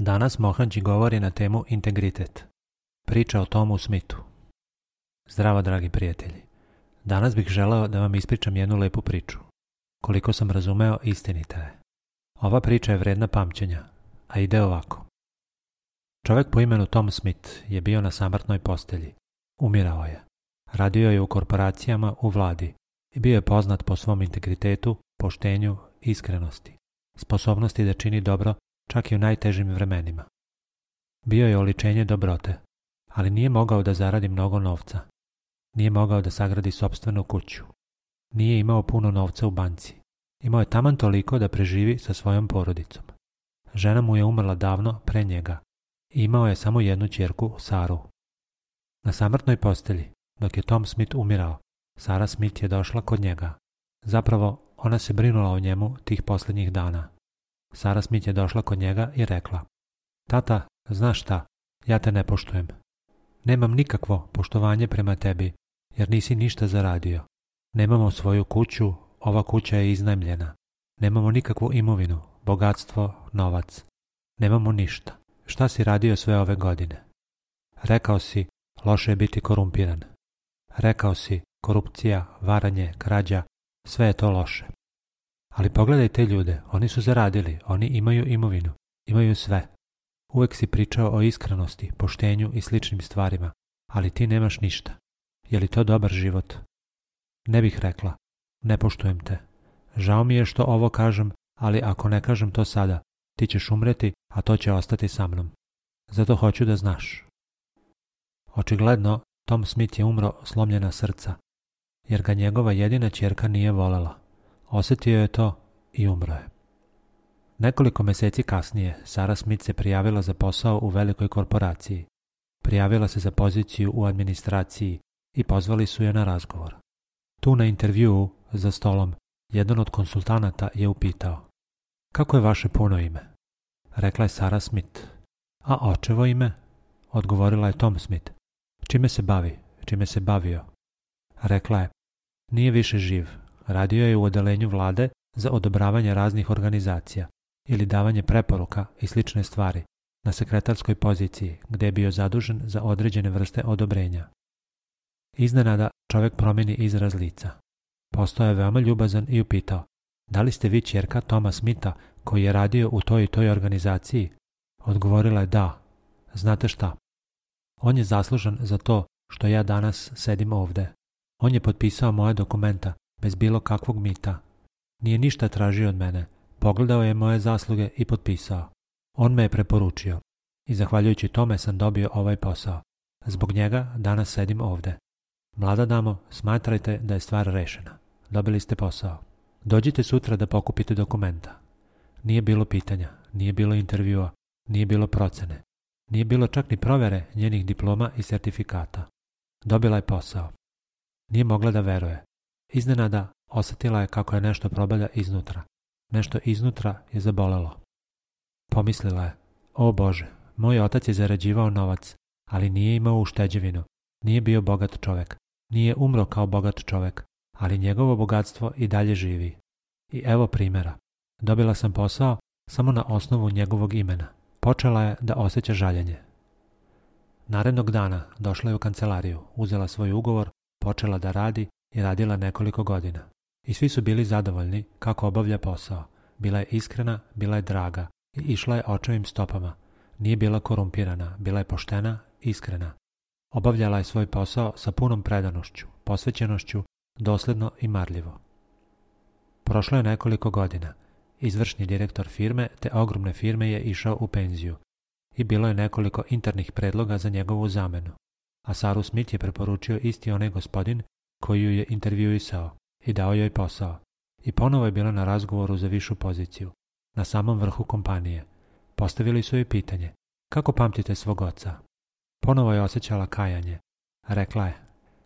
Danas Mohanji govori na temu integritet. Priča o Tomu Smithu. Zdravo, dragi prijatelji. Danas bih želeo da vam ispričam jednu lepu priču. Koliko sam razumeo, istinita je. Ova priča je vredna pamćenja, a ide ovako. Čovjek po imenu Tom Smith je bio na samrtnoj postelji. Umirao je. Radio je u korporacijama, u vladi i bio je poznat po svom integritetu, poštenju, iskrenosti, sposobnosti da čini dobro čak i u najtežim vremenima. Bio je oličenje dobrote, ali nije mogao da zaradi mnogo novca. Nije mogao da sagradi sopstvenu kuću. Nije imao puno novca u banci. Imao je taman toliko da preživi sa svojom porodicom. Žena mu je umrla davno pre njega i imao je samo jednu ćerku, Saru. Na samrtnoj postelji, dok je Tom Smith umirao, Sara Smith je došla kod njega. Zapravo, ona se brinula o njemu tih posljednjih dana. Sara Smith je došla kod njega i rekla: Tata, znaš šta, ja te ne poštujem. Nemam nikakvo poštovanje prema tebi, jer nisi ništa zaradio. Nemamo svoju kuću, ova kuća je iznajmljena. Nemamo nikakvu imovinu, bogatstvo, novac. Nemamo ništa. Šta si radio sve ove godine? Rekao si, loše je biti korumpiran. Rekao si, korupcija, varanje, krađa, sve je to loše. Ali pogledaj te ljude, oni su zaradili, oni imaju imovinu, imaju sve. Uvek si pričao o iskrenosti, poštenju i sličnim stvarima, ali ti nemaš ništa. Je li to dobar život? Ne bih rekla, ne poštujem te. Žao mi je što ovo kažem, ali ako ne kažem to sada, ti ćeš umreti, a to će ostati sa mnom. Zato hoću da znaš. Očigledno, Tom Smith je umro slomljena srca, jer ga njegova jedina ćerka nije volela. Osjetio je to i umro je. Nekoliko mjeseci kasnije, Sara Smith se prijavila za posao u velikoj korporaciji. Prijavila se za poziciju u administraciji i pozvali su je na razgovor. Tu na intervjuu, za stolom, jedan od konsultanata je upitao: Kako je vaše puno ime? Rekla je Sara Smith. A očevo ime? Odgovorila je Tom Smith. Čime se bavi? Čime se bavio? Rekla je: Nije više živ. Radio je u odelenju vlade za odobravanje raznih organizacija ili davanje preporuka i slične stvari na sekretarskoj poziciji gdje je bio zadužen za određene vrste odobrenja. Iznenada čovjek promijeni izraz lica. Postao je veoma ljubazan i upitao: Da li ste vi ćerka Toma Smitha koji je radio u toj i toj organizaciji? Odgovorila je da. Znate šta? On je zaslužan za to što ja danas sedim ovdje. On je potpisao moje dokumenta bez bilo kakvog mita. Nije ništa tražio od mene. Pogledao je moje zasluge i potpisao. On me je preporučio i zahvaljujući tome sam dobio ovaj posao. Zbog njega danas sedim ovdje. Mlada damo, smatrajte da je stvar rešena. Dobili ste posao. Dođite sutra da pokupite dokumenta. Nije bilo pitanja, nije bilo intervjua, nije bilo procene. Nije bilo čak ni provjere njenih diploma i sertifikata. Dobila je posao. Nije mogla da veruje. Iznenada osjetila je kako je nešto probada iznutra. Nešto iznutra je zabolelo. Pomislila je: O Bože, moj otac je zarađivao novac, ali nije imao ušteđevinu. Nije bio bogat čovjek. Nije umro kao bogat čovjek, ali njegovo bogatstvo i dalje živi. I evo primjera. Dobila sam posao samo na osnovu njegovog imena. Počela je da osjeća žaljenje. Narednog dana došla je u kancelariju, uzela svoj ugovor, počela da radi i radila nekoliko godina. I svi su bili zadovoljni kako obavlja posao. Bila je iskrena, bila je draga i išla je očevim stopama. Nije bila korumpirana, bila je poštena, iskrena. Obavljala je svoj posao sa punom predanošću, posvećenošću, dosljedno i marljivo. Prošlo je nekoliko godina. Izvršni direktor firme te ogromne firme je išao u penziju i bilo je nekoliko internih predloga za njegovu zamenu, a Saru Smith je preporučio isti onaj gospodin koji ju je intervjuisao i dao joj posao. I ponovo je bila na razgovoru za višu poziciju, na samom vrhu kompanije. Postavili su joj pitanje: Kako pamtite svog oca? Ponovo je osjećala kajanje. Rekla je: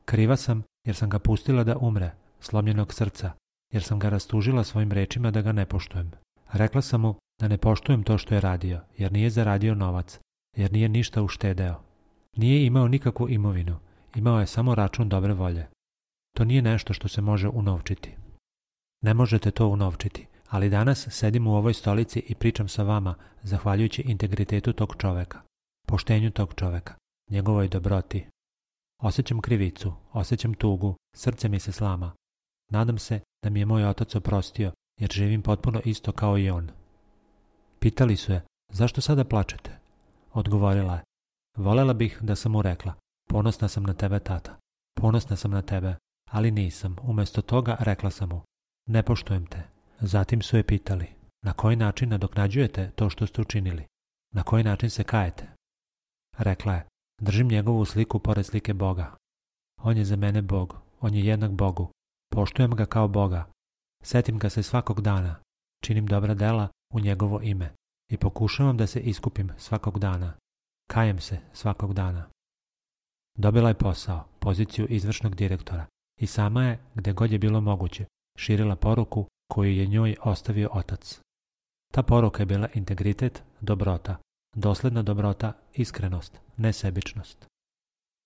Kriva sam jer sam ga pustila da umre, slomljenog srca, jer sam ga rastužila svojim rečima da ga ne poštujem. Rekla sam mu da ne poštujem to što je radio, jer nije zaradio novac, jer nije ništa uštedeo. Nije imao nikakvu imovinu, imao je samo račun dobre volje. To nije nešto što se može unovčiti. Ne možete to unovčiti, Ali danas sedim u ovoj stolici i pričam sa vama zahvaljujući integritetu tog čoveka, poštenju tog čoveka, njegovoj dobroti. Osjećam krivicu, osjećam tugu, srce mi se slama. Nadam se da mi je moj otac oprostio, jer živim potpuno isto kao i on. Pitali su je, zašto sada plačete? Odgovorila je, volela bih da sam mu rekla, ponosna sam na tebe, tata, ponosna sam na tebe, ali nisam. Umjesto toga rekla sam mu, ne poštujem te. Zatim su je pitali, na koji način nadoknađujete to što ste učinili? Na koji način se kajete? Rekla je, držim njegovu sliku pored slike Boga. On je za mene Bog, on je jednak Bogu. Poštujem ga kao Boga. Setim ga se svakog dana. Činim dobra dela u njegovo ime i pokušavam da se iskupim svakog dana. Kajem se svakog dana. Dobila je posao, poziciju izvršnog direktora i sama je, gde god je bilo moguće, širila poruku koju je njoj ostavio otac. Ta poruka je bila integritet, dobrota, dosledna dobrota, iskrenost, nesebičnost.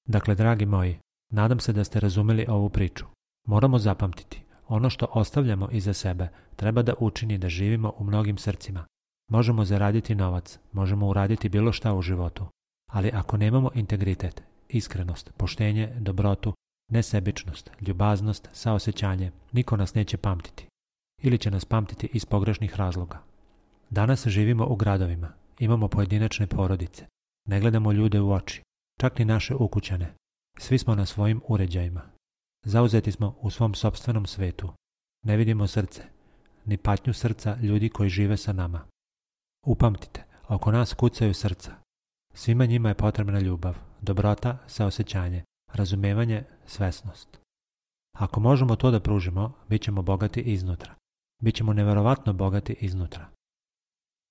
Dakle, dragi moji, nadam se da ste razumeli ovu priču. Moramo zapamtiti, ono što ostavljamo iza sebe treba da učini da živimo u mnogim srcima. Možemo zaraditi novac, možemo uraditi bilo šta u životu, ali ako nemamo integritet, iskrenost, poštenje, dobrotu, nesebičnost, ljubaznost, saosećanje, niko nas neće pamtiti. Ili će nas pamtiti iz pogrešnih razloga. Danas živimo u gradovima, imamo pojedinačne porodice, ne gledamo ljude u oči, čak ni naše ukućane. Svi smo na svojim uređajima. Zauzeti smo u svom sopstvenom svetu. Ne vidimo srce, ni patnju srca ljudi koji žive sa nama. Upamtite, oko nas kucaju srca. Svima njima je potrebna ljubav, dobrota, saosećanje, razumevanje, svesnost. Ako možemo to da pružimo, bit ćemo bogati iznutra. Bićemo neverovatno bogati iznutra.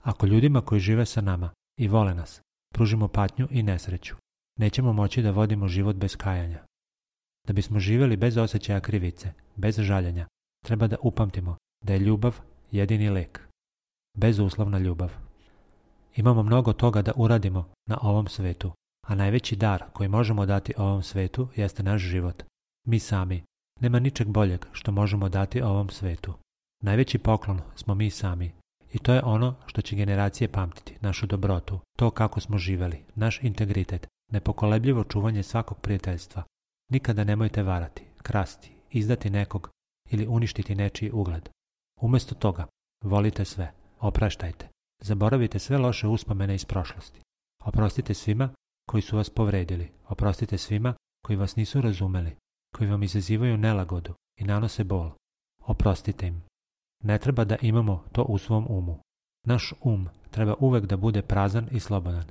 Ako ljudima koji žive sa nama i vole nas, pružimo patnju i nesreću, nećemo moći da vodimo život bez kajanja. Da bismo živjeli bez osjećaja krivice, bez žaljenja, treba da upamtimo da je ljubav jedini lek. Bezuslovna ljubav. Imamo mnogo toga da uradimo na ovom svetu, a najveći dar koji možemo dati ovom svetu jeste naš život. Mi sami. Nema ničeg boljeg što možemo dati ovom svetu. Najveći poklon smo mi sami. I to je ono što će generacije pamtiti, našu dobrotu, to kako smo živeli, naš integritet, nepokolebljivo čuvanje svakog prijateljstva. Nikada nemojte varati, krasti, izdati nekog ili uništiti nečiji ugled. Umjesto toga, volite sve, opraštajte, zaboravite sve loše uspomene iz prošlosti. Oprostite svima koji su vas povredili, oprostite svima koji vas nisu razumeli, koji vam izazivaju nelagodu i nanose bol. Oprostite im. Ne treba da imamo to u svom umu. Naš treba uvek da bude prazan i slobodan.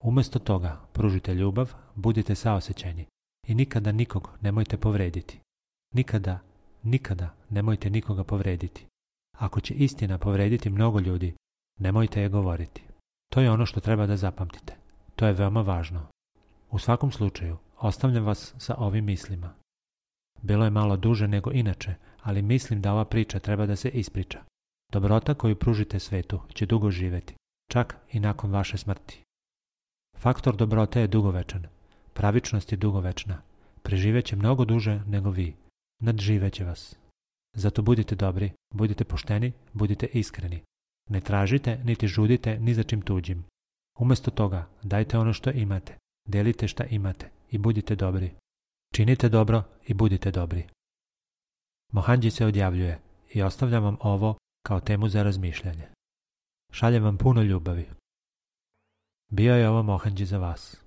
Umjesto toga, pružite ljubav, budite saosećajni i nikada nikog nemojte povrediti. Nikada nemojte nikoga povrediti. Ako će istina povrediti mnogo ljudi, nemojte je govoriti. To je ono što treba da zapamtite. To je veoma važno. U svakom slučaju, ostavljam vas sa ovim mislima. Bilo je malo duže nego inače, ali mislim da ova priča treba da se ispriča. Dobrota koju pružite svetu će dugo živeti, čak i nakon vaše smrti. Faktor dobrote je dugovečan, pravičnost je dugovečna, preživeće mnogo duže nego vi, nadživeće vas. Zato budite dobri, budite pošteni, budite iskreni. Ne tražite, niti žudite ni za čim tuđim. Umjesto toga, dajte ono što imate, delite šta imate i budite dobri. Činite dobro i budite dobri. Mohanđi se odjavljuje i ostavljam vam ovo kao temu za razmišljanje. Šaljem vam puno ljubavi. Bio je ovo Mohanđi za vas.